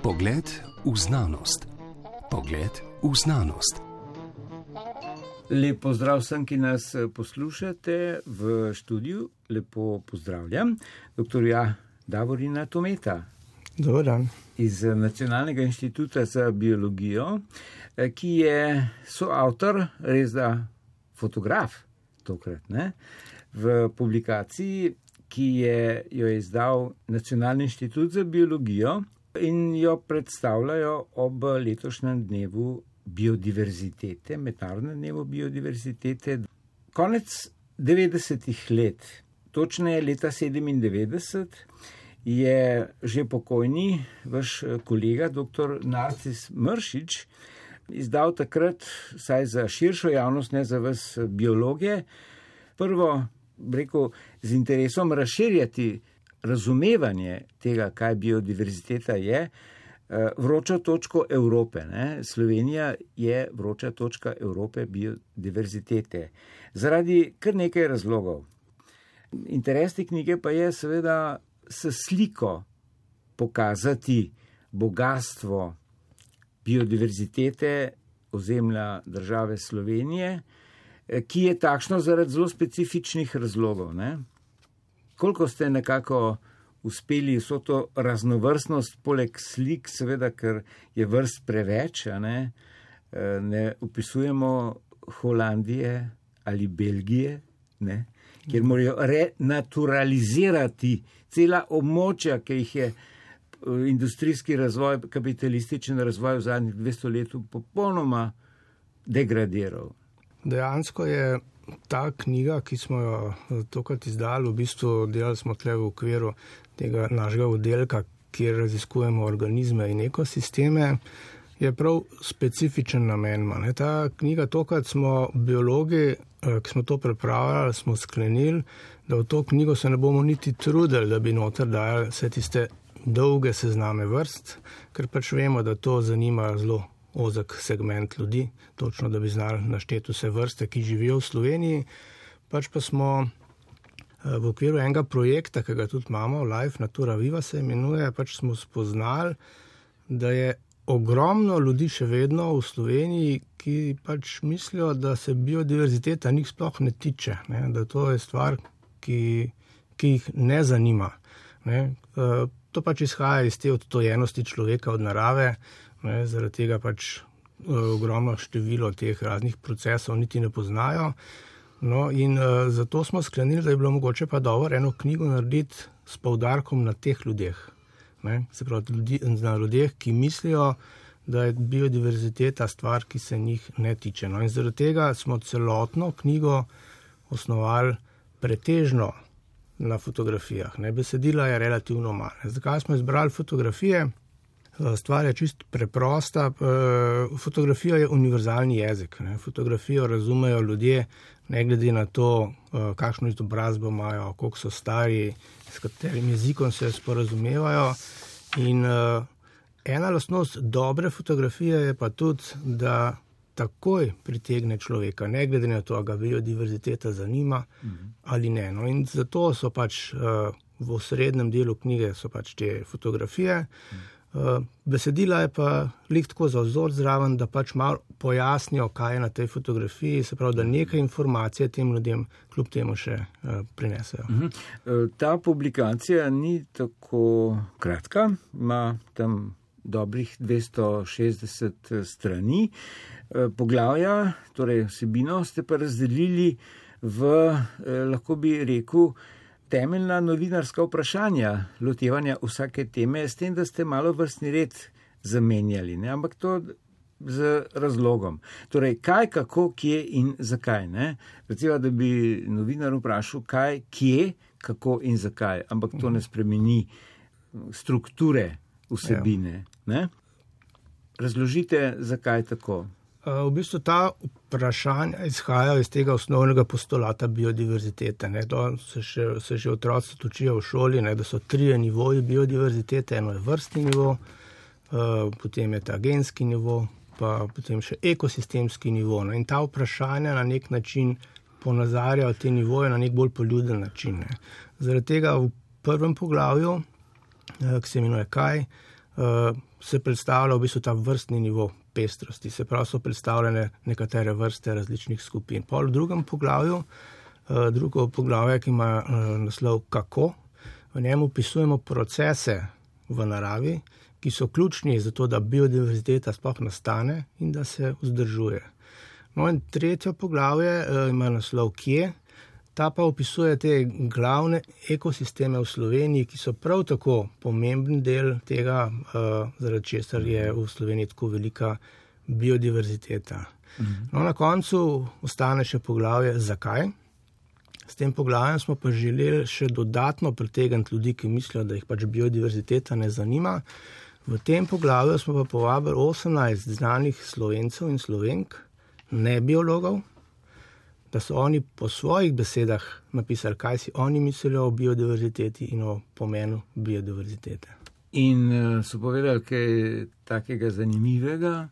Pogled v znanost. Pogled v znanost. Lep pozdrav vsem, ki nas poslušate v študiju. Lepo pozdravljam dr. Davorina Tometa. Dober dan. Iz Nacionalnega inštituta za biologijo, ki je soavtor, res da fotograf tokrat, ne? V publikaciji, ki jo je izdal Nacionalni inštitut za biologijo in jo predstavljajo ob letošnjem dnevu biodiverzitete, mednarodnem dnevu biodiverzitete. Konec 90-ih let, točneje leta 97, je že pokojni vaš kolega, dr. Narcis Mršič, izdal takrat, saj za širšo javnost, ne za vas biologe, prvo, rekel, z interesom razširjati razumevanje tega, kaj biodiverziteta je, vročo točko Evrope. Ne? Slovenija je vroča točka Evrope biodiverzitete. Zaradi kar nekaj razlogov. Interes te knjige pa je seveda s sliko pokazati bogastvo biodiverzitete ozemlja države Slovenije, ki je takšno zaradi zelo specifičnih razlogov. Ne? Koliko ste nekako uspeli vso to raznovrstnost, poleg slik, seveda, ker je vrst preveč, ne opisujemo Holandije ali Belgije, ne? Kjer morajo renaturalizirati cela območja, ki jih je industrijski razvoj, kapitalističen razvoj v zadnjih 200 letih popolnoma degradiral. Dejansko je ta knjiga, ki smo jo tokrat izdali, v bistvu delali smo tle v okviru tega našega oddelka, kjer raziskujemo organizme in ekosisteme, je prav specifičen namen. Ta knjiga, tokrat smo biologi, ki smo to pripravljali, smo sklenili, da v to knjigo se ne bomo niti trudili, da bi noter dajali vse tiste dolge sezname vrst, ker pač vemo, da to zanima zelo ozek segment ljudi, točno da bi znali našteti vse vrste, ki živijo v Sloveniji. Pač pa smo v okviru enega projekta, ki ga tudi imamo, Life Natura Viva se imenuje, pač smo spoznali, da je ogromno ljudi še vedno v Sloveniji, ki pač mislijo, da se biodiverziteta njih sploh ne tiče, ne? Da to je stvar, ki jih ne zanima. Ne? To pač izhaja iz te odtojenosti človeka od narave, ne? Zaradi tega pač ogromno število teh raznih procesov niti ne poznajo. No, in zato smo sklenili, da je bilo mogoče pa dobro eno knjigo narediti s poudarkom na teh ljudeh. Ne? Se pravi, na ljudeh, ki mislijo, da je biodiverziteta stvar, ki se njih ne tiče. No, in zaradi tega smo celotno knjigo osnovali pretežno na fotografijah. Ne? Besedila je relativno malo. Zakaj smo izbrali fotografije? Stvar je čisto preprosta. Fotografija je univerzalni jezik. Ne? Fotografijo razumejo ljudje, ne glede na to, kakšno izobrazbo imajo, koliko so stari, s katerim jezikom se sporazumevajo. In ena lastnost dobre fotografije je pa tudi, da takoj pritegne človeka, ne glede na to, ga biodiverziteta zanima ali ne. No, in zato so pač v osrednjem delu knjige so pač te fotografije. Besedila je pa lik tako za vzor zraven, da pač malo pojasnijo, kaj je na tej fotografiji, se pravi, da nekaj informacije tem ljudem kljub temu še prinesejo. Ta publikacija ni tako kratka, ima tam dobrih 260 strani. Poglavja, torej vsebino, ste pa razdelili v, lahko bi rekel, temeljna novinarska vprašanja lotevanja vsake teme, s tem, da ste malo vrstni red zamenjali, ne? Ampak to z razlogom. Torej, kaj, kako, kje in zakaj. Ne? Recimo, da bi novinar vprašal, kaj, kje, kako in zakaj, ampak to ne spremeni strukture vsebine. Ne? Razložite, zakaj tako. V bistvu ta vprašanja izhajajo iz tega osnovnega postulata biodiverzitete. Ne? To se že otroci učijo v šoli, ne? Da so 3 nivoji biodiverzitete. Eno je vrstni nivo, potem je ta genski nivo, pa potem še ekosistemski nivo. No? In ta vprašanja na nek način ponazarjajo te nivoje na nek bolj poljuden način. Ne? Zaradi tega v prvem poglavju, ki se imenuje kaj, se predstavlja v bistvu ta vrstni nivo pestrosti, se pravi so predstavljene nekatere vrste različnih skupin. Pol v drugem poglavju, drugo poglavje, ki ima naslov kako, v njem opisujemo procese v naravi, ki so ključni za to, da biodiverziteta sploh nastane in da se vzdržuje. No in tretje poglavje ima naslov kje, ta pa opisuje te glavne ekosisteme v Sloveniji, ki so prav tako pomemben del tega, zaradi česar je v Sloveniji tako velika biodiverziteta. No, na koncu ostane še poglavje zakaj. S tem poglavjem smo pa želeli še dodatno pritegniti ljudi, ki mislijo, da jih pač biodiverziteta ne zanima. V tem poglavju smo pa povabili 18 znanih Slovencev in Slovenk, ne biologov, da so oni po svojih besedah napisali, kaj si oni mislijo o biodiverziteti in o pomenu biodiverzitete. In so povedali kaj takega zanimivega?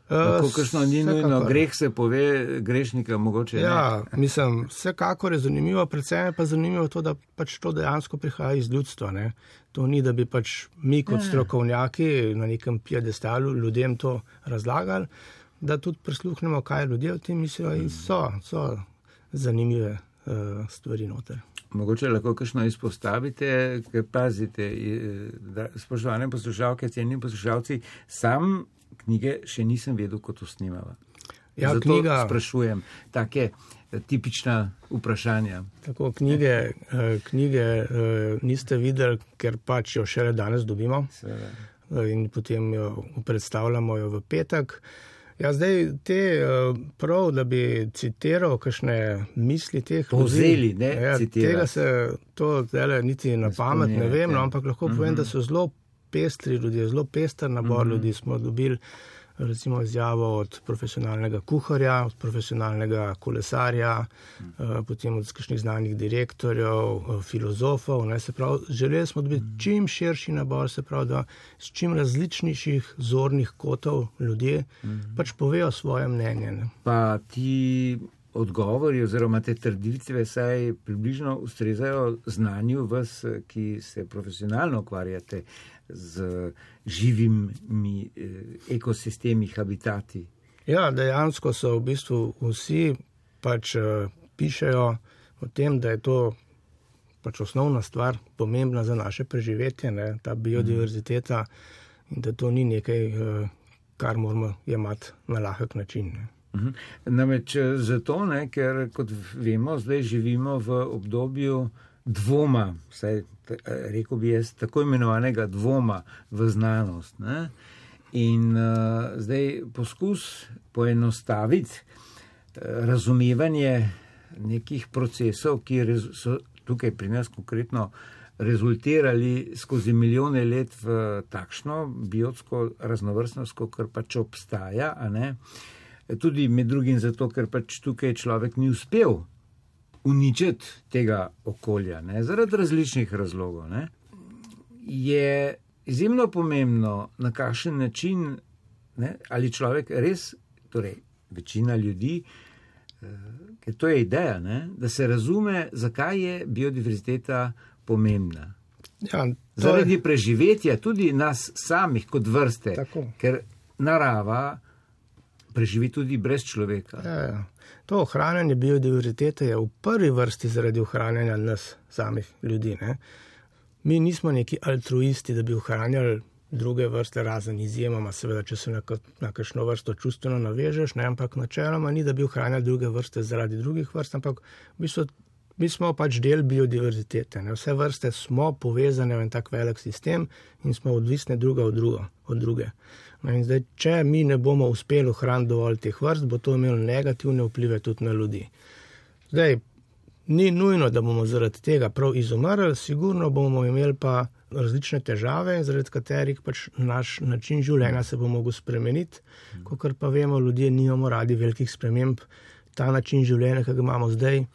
Kakšno ni nujno, greh se pove, grešnika mogoče ne. Ja, mislim, vsekakor je zanimivo, predvsem je pa zanimivo to, da pač to dejansko prihaja iz ljudstva. Ne? To ni, da bi pač mi kot strokovnjaki na nekem piedestalu ljudem to razlagali, da tudi prisluhnemo, kaj ljudje o tem mislijo in so zanimive stvari noter. Mogoče lahko kakšno izpostavite, ker pazite, spoštovane poslušalke, cenjeni poslušalci, sam knjige še nisem vedel, kot to snimava. Ja, zato sprašujem take tipična vprašanja. Tako, knjige niste videli, ker pač jo šele danes dobimo. In potem jo predstavljamo jo v petek. Ja, zdaj prav, da bi citiral kakšne misli teh povzeli, ne citirati. Tega se to zdaj niti na pamet ne vem, no, ampak lahko povem, da so zelo pestri ljudje, zelo pester nabor ljudi. Smo dobili recimo izjavo od profesionalnega kuharja, od profesionalnega kolesarja, potem od kakšnih znanih direktorjev, filozofov. Ne, se pravi, želeli smo dobiti čim širši nabor, se pravi, da s čim različnejših zornih kotov ljudje pač povejo svoje mnenje. Ne. Pa ti odgovori oziroma te trditve saj približno ustrezajo znanju vas, ki se profesionalno ukvarjate z živimi ekosistemi, habitati. Ja, dejansko so v bistvu vsi pač pišejo o tem, da je to pač osnovna stvar, pomembna za naše preživetje, ne, ta biodiverziteta in da to ni nekaj, kar moramo jemati na lahek način. Ne. Namreč zato, ne, ker kot vemo, zdaj živimo v obdobju dvoma, saj rekel bi jaz, tako imenovanega dvoma v znanost. Ne? In zdaj poskus poenostaviti razumevanje nekih procesov, ki so tukaj pri nas konkretno rezultirali skozi milijone let v takšno biotsko raznovrstnost, kar pač obstaja, a ne? Tudi med drugim zato, ker pač tukaj človek ni uspel uničiti tega okolja, ne, zaradi različnih razlogov, ne, je izjemno pomembno, na kakšen način, ne, ali človek res, torej večina ljudi, ker to je ideja, ne, da se razume, zakaj je biodiverziteta pomembna. Ja, zaradi preživetja tudi nas samih kot vrste, tako. Ker narava preživi tudi brez človeka. Ja. To ohranjanje biodiverzitete je v prvi vrsti zaradi ohranjanja nas samih ljudi. Ne? Mi nismo neki altruisti, da bi ohranjali druge vrste, razen izjemoma, seveda, če se na kakšno vrsto čustveno navežeš, ne? Ampak načeloma ni, da bi ohranjali druge vrste zaradi drugih vrst, ampak v bistvu mi smo pač del biodiverzitete. Ne? Vse vrste smo povezane v en tak velik sistem in smo odvisne druga od druge. No in zdaj, če mi ne bomo uspeli ohraniti dovolj teh vrst, bo to imelo negativne vplive tudi na ljudi. Zdaj, ni nujno, da bomo zaradi tega prav izumrli, sigurno bomo imeli pa različne težave, zaradi katerih pač naš način življenja se bo mogel spremeniti. Kakor pa vemo, ljudje nimamo radi velikih sprememb. Ta način življenja, ki ga imamo zdaj,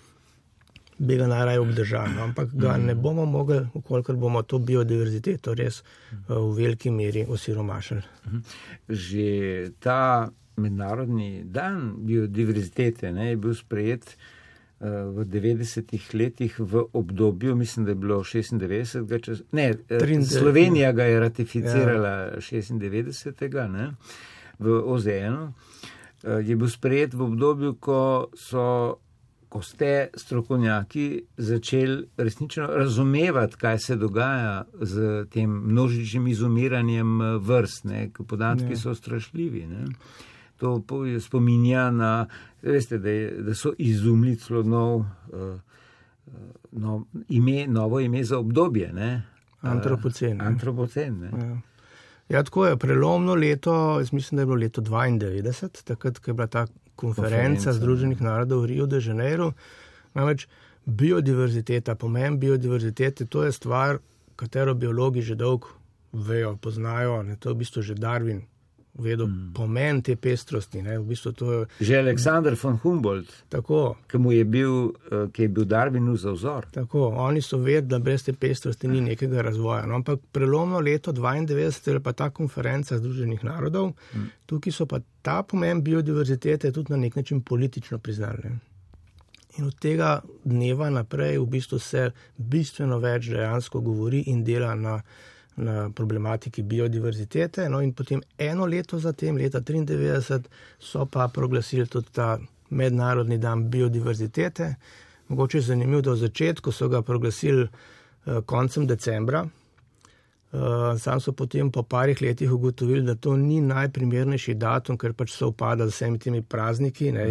bi ga najraje obdržali, ampak ga ne bomo mogli, ukolikor bomo to biodiverziteto res v veliki meri osiromašili. Že ta mednarodni dan biodiverzitete, ne, je bil sprejet v 90-ih letih v obdobju, mislim, da je bilo 96. Slovenija ga je ratificirala 96. Ne, v OZN-u. Je bil sprejet v obdobju, ko ste strokovnjaki začeli resnično razumevati, kaj se dogaja z tem množičnim izumiranjem vrst, ne, podatki so strašljivi. Ne. To spominja na, veste, da so izumili celo novo ime za obdobje. Ne. Antropocen. Antropocen, ne. Ja, tako je, prelomno leto, jaz mislim, da je bilo leto 92, takrat, ko je bila ta konferenca Združenih narodov v Rio de Janeiro. Namreč biodiverziteta, pomen biodiverzitete, to je stvar, katero biologi že dolgo vejo, poznajo, ne, to je v bistvu že Darwin vedel pomen te pestrosti. Ne, v bistvu to je... Že Alexander von Humboldt, tako, ki je bil Darwinu za vzor. Tako, oni so vedeli, da brez te pestrosti ni nekega razvoja. No, ampak prelomno leto 92 je pa ta konferenca Združenih narodov, tukaj so pa ta pomen biodiverzitete tudi na nek način politično priznali. In od tega dneva naprej v bistvu se bistveno več dejansko govori in dela na problematiki biodiverzitete. No in potem eno leto zatem, leta 93, so pa proglasili tudi ta mednarodni dan biodiverzitete. Mogoče je zanimivo, da v začetku so ga proglasili koncem decembra. Sam so potem po parih letih ugotovili, da to ni najprimernejši datum, ker pač so upada z vsemi temi prazniki, ne,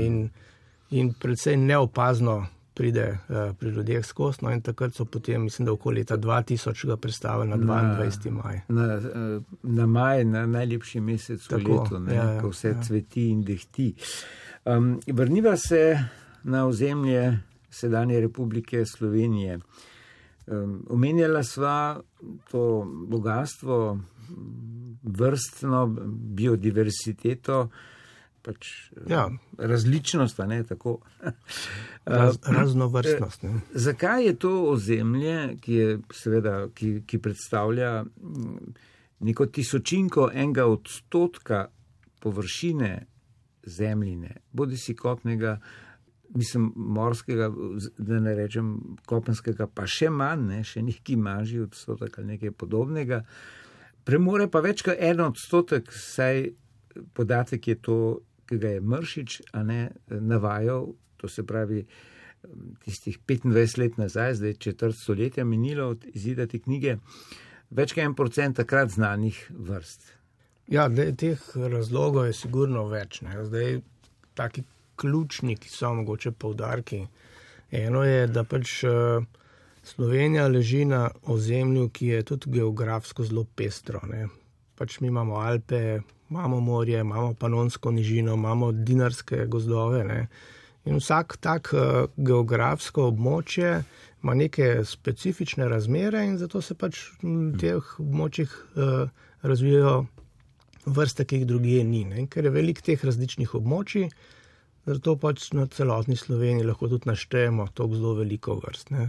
in predvsej neopazno pride pri ljudeh skozi. No in takrat so potem, mislim, da okoli leta 2000 ga predstavili na 22. maj. Na maj, na najlepši mesec v letu, ne, ko vse cveti in dehti. Vrniva se na ozemlje sedanje Republike Slovenije. Omenjala sva to bogatstvo, vrstno biodiversiteto, pač različnost, ne, tako. Raznovrstnost. Ne. Zakaj je to ozemlje, ki predstavlja neko tisočinko 1% površine zemljine, bodisi kopnega, mislim, morskega, da ne rečem kopenskega, pa še manj, ne, še neki manjši odstotek ali nekaj podobnega, premore pa več kot 1%, saj podatek je to, ki ga je Mršič navajal, to se pravi tistih 25 let nazaj, zdaj četrt stoletja minilo od izida te knjige, več kot 1% takrat znanih vrst. Ja, teh razlogov je sigurno več. Ne. Zdaj, taki ključni, ki so mogoče poudarki. Eno je, da pač Slovenija leži na ozemlju, ki je tudi geografsko zelo pestro. Ne. Pač mi imamo Alpe, imamo morje, imamo Panonsko nižino, imamo dinarske gozdove. Ne. In vsak tak geografsko območje ima neke specifične razmere in zato se pač v teh območjih razvijajo vrste, ki jih drugje ni. Ne. Ker je veliko teh različnih območij, zato pač na celotni Sloveniji lahko tudi naštejemo toliko zelo veliko vrst. Ne.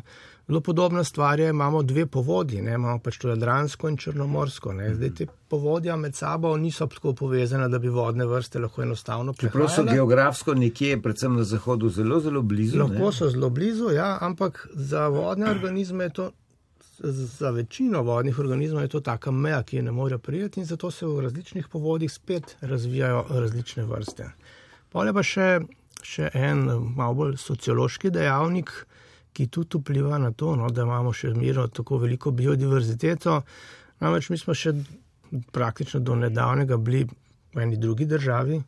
Zelo podobna stvar je, imamo dve povodji, ne. Imamo pač to Jadransko in Črnomorsko. Ne. Zdaj te povodja med sabo niso tako povezane, da bi vodne vrste lahko enostavno prehajale. Čeprav so geografsko nekje, predvsem na zahodu, zelo, zelo blizu. Lahko so zelo blizu, ja, ampak za vodne organizme je to, za večino vodnih organizmov je to taka meja, ki je ne morejo prejeti in zato se v različnih povodjih spet razvijajo različne vrste. Pol je pa še en malo bolj sociološki dejavnik, ki tudi vpliva na to, no, da imamo še mirno tako veliko biodiverziteto. Namreč mi smo še praktično do nedavnega bili v eni drugi državi,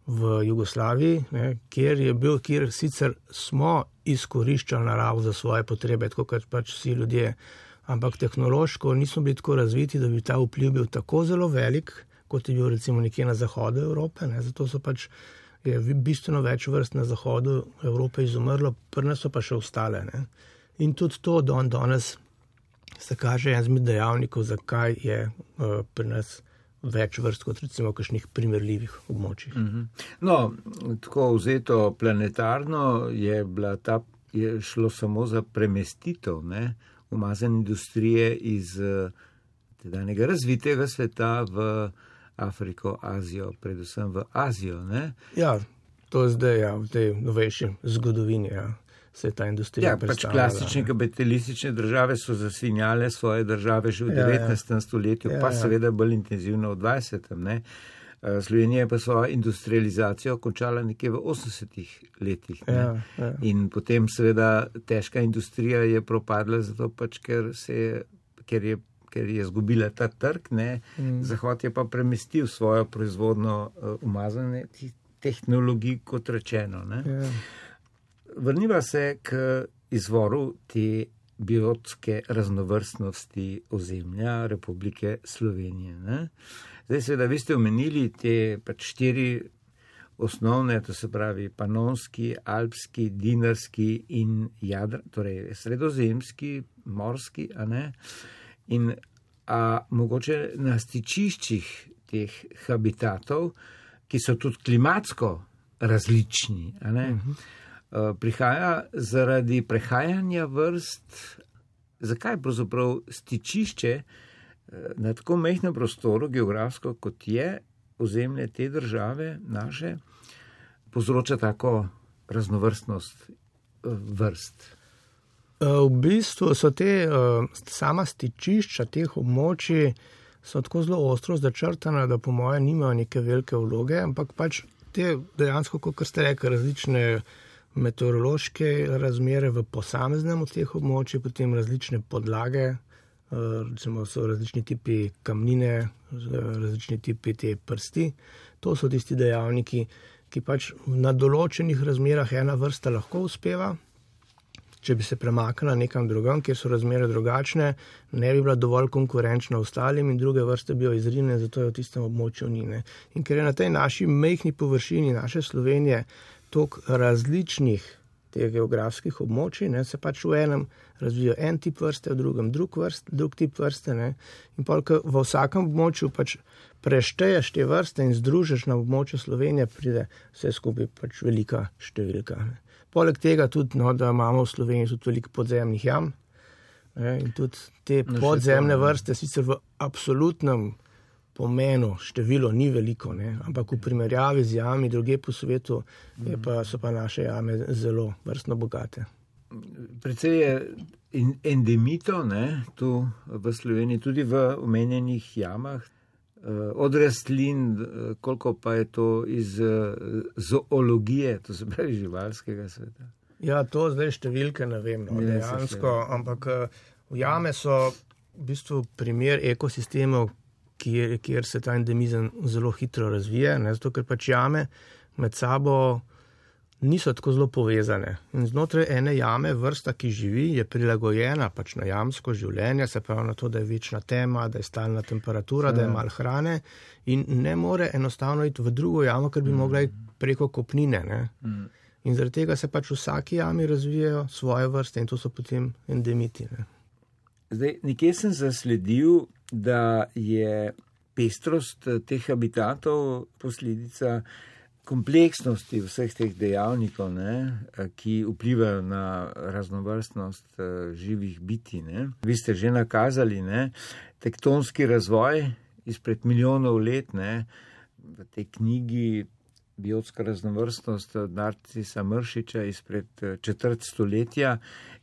v Jugoslaviji, ne, kjer sicer smo izkoriščali naravo za svoje potrebe, tako kot pač vsi ljudje, ampak tehnološko nismo bili tako razviti, da bi ta vpliv bil tako zelo velik, kot je bil recimo nekje na zahodu Evrope. Ne. Zato so pač je bistveno več vrst na zahodu Evrope izumrlo, pri nas so pa še ostale. Ne. In tudi to danes se kaže en izmed dejavnikov, zakaj je pri nas več vrst kot recimo v kakšnih primerljivih območjih. No, tako vzeto planetarno je šlo samo za premestitev, ne, umazane industrije iz tedanjega razvitega sveta v Afriko, Azijo, predvsem v Azijo, ne? Ja, to je zdaj, ja, v tej novejši zgodovini, ja. se je ta industrija predstavljala. Klasične kapitalistične države so zasvinjale svoje države že v 19. stoletju, pa seveda bolj intenzivno v 20. ne. Slovenija je pa svojo industrializacijo končala nekje v 80. letih. Ne? In potem seveda težka industrija je propadla zato pač, ker je zgubila ta trg, ne? Zahod je pa premestil svojo proizvodno umazane tehnologij, kot rečeno. Ne? Vrniva se k izvoru te biotske raznovrstnosti ozemlja Republike Slovenije. Ne? Zdaj seveda vi ste omenili te pač 4 osnovne, to se pravi panonski, alpski, dinarski in torej sredozemski, morski, a ne? In mogoče na stičiščih teh habitatov, ki so tudi klimatsko različni, a ne? Prihaja zaradi prehajanja vrst, zakaj pravzaprav stičišče na tako majhnem prostoru, geografsko kot je ozemlje te države naše, povzroča tako raznovrstnost vrst? V bistvu so sama stičišča teh območij so tako zelo ostro začrtana, da po moje nimajo neke velike vloge, ampak pač te dejansko, kot ste rekli, različne meteorološke razmere v posameznem od teh območij, potem različne podlage, recimo so različni tipi kamnine, različni tipi te prsti. To so tisti dejavniki, ki pač na določenih razmerah ena vrsta lahko uspeva. Če bi se premaknila nekam drugam, kjer so razmere drugačne, ne bi bila dovolj konkurenčna ostalim in druge vrste bi jo izrinile, zato je v tistem območju ni. In ker je na tej naši majhni površini naše Slovenije toliko različnih teh geografskih območij, se pač v enem razvijo en tip vrste, v drugem drug tip vrste. In polk v vsakem območju pač prešteješ te vrste in združiš na območju Slovenije, pride vse skupaj pač velika številka. Poleg tega tudi, da imamo v Sloveniji tudi veliko podzemnih jam. In tudi te podzemne vrste sicer v absolutnem pomenu število ni veliko, ampak v primerjavi z jami druge po svetu so pa naše jame zelo vrstno bogate. Precej je endemito tu v Sloveniji, tudi v omenjenih jamah, od rastlin, koliko pa je to iz zoologije, to se pravi živalskega sveta? Ja, to zdaj številke ne vem, dejansko, ampak jame so v bistvu primer ekosistemov, kjer se ta endemizem zelo hitro razvije, zato ker pač jame med sabo niso tako zelo povezane. In znotraj ene jame vrsta, ki živi, je prilagojena pač na jamsko življenje, se pravi na to, da je večna tema, da je stalna temperatura, da je malo hrane in ne more enostavno iti v drugo jamo, ker bi mogla iti preko kopnine. In zaradi tega se pač v vsaki jami razvijajo svoje vrste in to so potem endemiti. Zdaj, nekje sem zasledil, da je pestrost teh habitatov posledica kompleksnosti vseh teh dejavnikov, ki vplivajo na raznovrstnost živih bitij. Vi ste že nakazali tektonski razvoj izpred milijonov let. V tej knjigi Biotska raznovrstnost od Narcisa Mršiča izpred četrt stoletja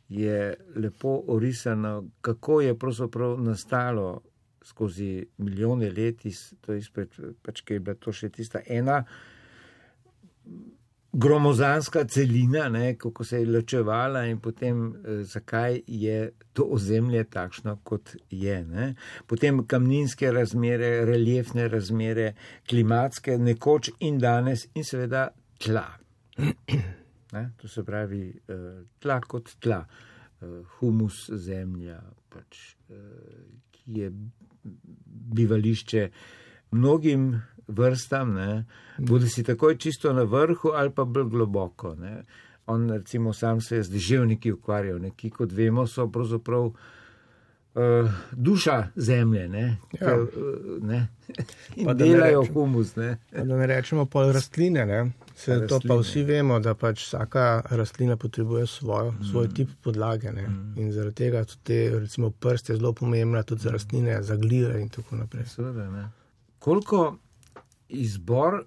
je lepo orisano, kako je pravzaprav nastalo skozi milijone let, to je izpred, pač kaj je bila to še tista ena gromozanska celina, kako se je ločevala in potem zakaj je to ozemlje takšno, kot je. Potem kamninske razmere, reliefne razmere, klimatske, nekoč in danes in seveda tla. To se pravi tla kot tla, humus zemlja, pač, ki je bivališče mnogim vrstam, bodi si takoj čisto na vrhu ali pa bolj globoko. On recimo sam se je z deževniki ukvarjal, ki kot vemo so pravzaprav duša zemlje, in delajo humus. Da ne rečemo pol rastline, to pa vsi vemo, da pač vsaka rastlina potrebuje svoj tip podlage. In zaradi tega tudi recimo prst je zelo pomembna tudi za rastline, za gljive in tako naprej. Seveda, koliko izbor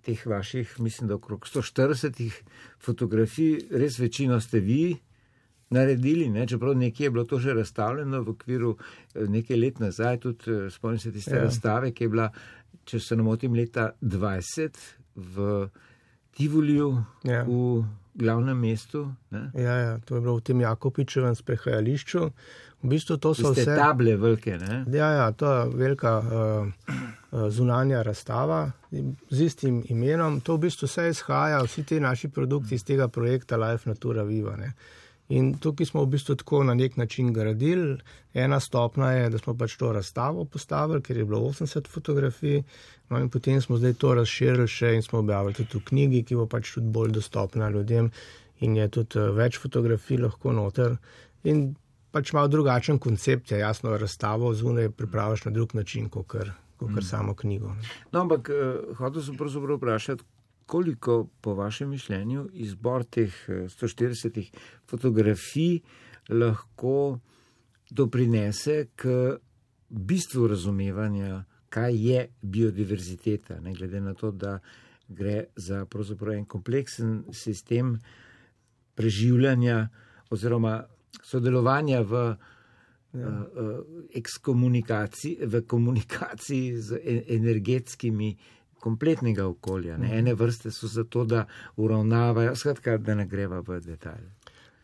teh vaših, mislim, da okrog 140 fotografij, res večino ste vi naredili, ne? Čeprav nekje je bilo to že razstavljeno v okviru nekaj let nazaj, tudi spomnim se tiste razstave, ki je bila, če se ne motim, leta 20 v Tivoliju, v glavnem mestu. Ne? Ja, to je bilo v tem Jakopičevem sprehajališču. V bistvu to so vse table velike, ne? Ja, to je velika zunanja razstava z istim imenom. To v bistvu vse izhaja, vsi ti naši produkti iz tega projekta Life Natura Viva, ne? In tukaj smo v bistvu tako na nek način gradili. Ena stopna je, da smo pač to razstavo postavili, ker je bilo 80 fotografij, no in potem smo zdaj to razširili še in smo objavili tudi v knjigi, ki bo pač tudi bolj dostopna ljudem in je tudi več fotografij lahko noter. In pač malo drugačen koncept je, jasno, razstavo zunaj pripraviš na drug način, kot samo knjigo. No, ampak hotel sem pravzaprav vprašati, koliko po vašem mišljenju izbor teh 140 fotografij lahko doprinese k bistvu razumevanja, kaj je biodiverziteta, ne glede na to, da gre za pravzaprav en kompleksen sistem preživljanja oziroma sodelovanja v komunikaciji z energetskimi kompletnega okolja. Ne? Ene vrste so zato, da uravnavajo, skratka, da ne greva v detalje.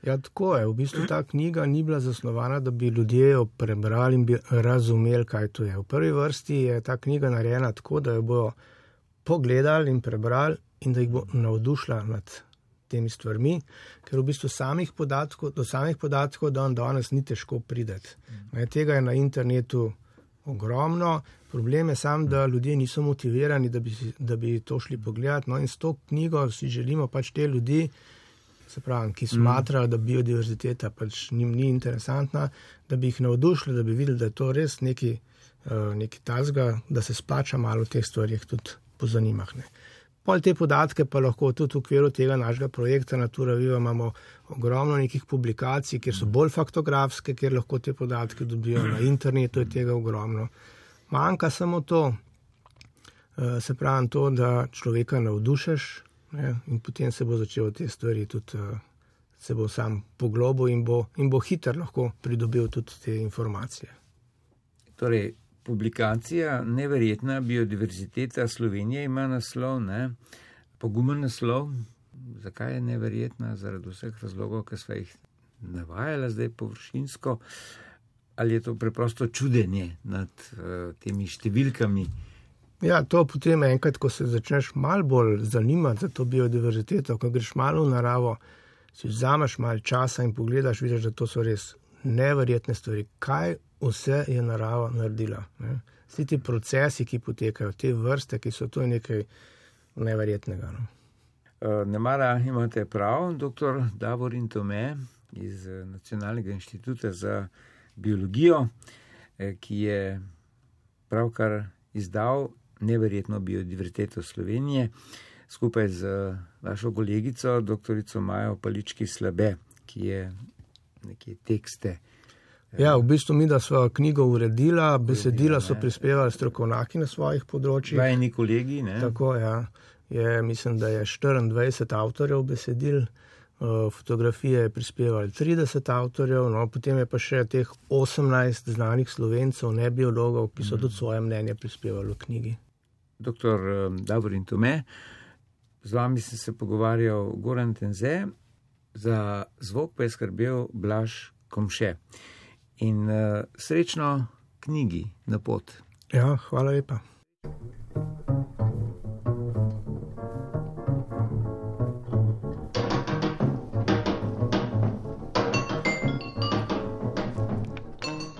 Ja, tako je. V bistvu ta knjiga ni bila zasnovana, da bi ljudje jo prebrali in bi razumeli, kaj to je. V prvi vrsti je ta knjiga narejena tako, da jo bojo pogledali in prebrali in da jih bo navdušila nad temi stvarmi, ker v bistvu do samih podatkov danes ni težko prideti. Tega je na internetu ogromno. Problem je sam, da ljudje niso motivirani, da bi to šli pogledati. No in s to knjigo si želimo pač te ljudi, se pravi, ki smatrajo, da biodiverziteta pač njim ni interesantna, da bi jih navdušili, da bi videli, da je to res neki tazga, da se splača malo v teh stvarih tudi pozanimah. Pol te podatke pa lahko tudi v okviru tega našega projekta Natura Viva imamo ogromno nekih publikacij, kjer so bolj faktografske, kjer lahko te podatke dobijo na internetu, je tega ogromno. Manjka samo to, se pravi to, da človeka navdušeš, ne, in potem se bo začel te stvari tudi, se bo sam poglobil in bo hiter lahko pridobil tudi te informacije. Torej, publikacija Neverjetna biodiverziteta Slovenije ima naslov, ne? Pogumen naslov. Zakaj je neverjetna? Zaradi vseh razlogov, ki sva jih navajala zdaj površinsko. Ali je to preprosto čudenje nad temi številkami? Ja, to potem enkrat, ko se začneš malo bolj zanimati za to biodiverziteto, ko greš malo v naravo, si vzameš malo časa in pogledaš, vidiš, da to so res neverjetne stvari. Kaj vse je narava naredila? Ne? Vsi ti procesi, ki potekajo, te vrste, ki so to nekaj neverjetnega. No? Nemara imate prav, dr. Davorin Tome iz Nacionalnega inštituta za biologijo, ki je pravkar izdal Neverjetno biodiverziteto Slovenije skupaj z vašo kolegico, doktorico Majo Palički-Slabe, ki je neke tekste. Ja, v bistvu mi, da sva knjigo uredila, besedila so prispevali strokovnjaki na svojih področjih. Vajni kolegi, ne? Tako, ja. Mislim, da je 24 avtorjev besedil, fotografije je prispevali 30 avtorjev, no, potem je pa še teh 18 znanih Slovencev, ne biologov, ki so tudi svoje mnenje prispevali v knjigi. Doktor Davorin Tome, z vami sem se pogovarjal Goran Tenze, za zvok pa je skrbel Blaž Komše. In srečno knjigi na pot. Ja, hvala lepa.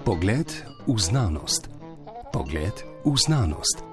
Pogled v znanost. Pogled v znanost.